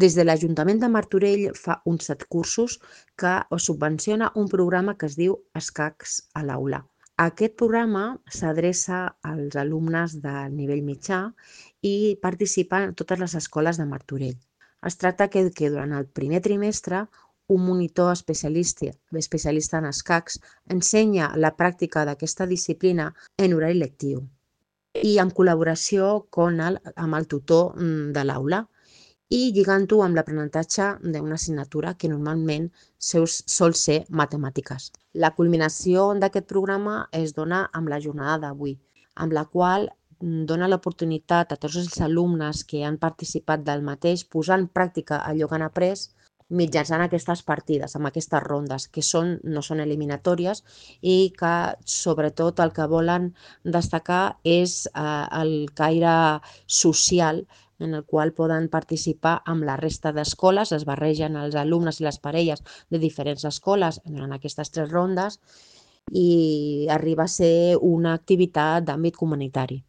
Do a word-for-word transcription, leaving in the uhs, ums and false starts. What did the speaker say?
Des de l'Ajuntament de Martorell fa uns set cursos que subvenciona un programa que es diu Escacs a l'aula. Aquest programa s'adreça als alumnes de nivell mitjà i participen totes les escoles de Martorell. Es tracta que, que durant el primer trimestre un monitor especialista, especialista en escacs ensenya la pràctica d'aquesta disciplina en horari lectiu i en col·laboració con el, amb el tutor de l'aula i lligant-ho amb l'aprenentatge d'una assignatura que normalment sol ser matemàtiques. La culminació d'aquest programa es dona amb la jornada d'avui, amb la qual dona l'oportunitat a tots els alumnes que han participat del mateix posar en pràctica allò que han après mitjançant aquestes partides, amb aquestes rondes, que són, no són eliminatòries i que sobretot el que volen destacar és eh, el caire social en el qual poden participar amb la resta d'escoles, es barregen els alumnes i les parelles de diferents escoles en aquestes tres rondes i arriba a ser una activitat d'àmbit comunitari.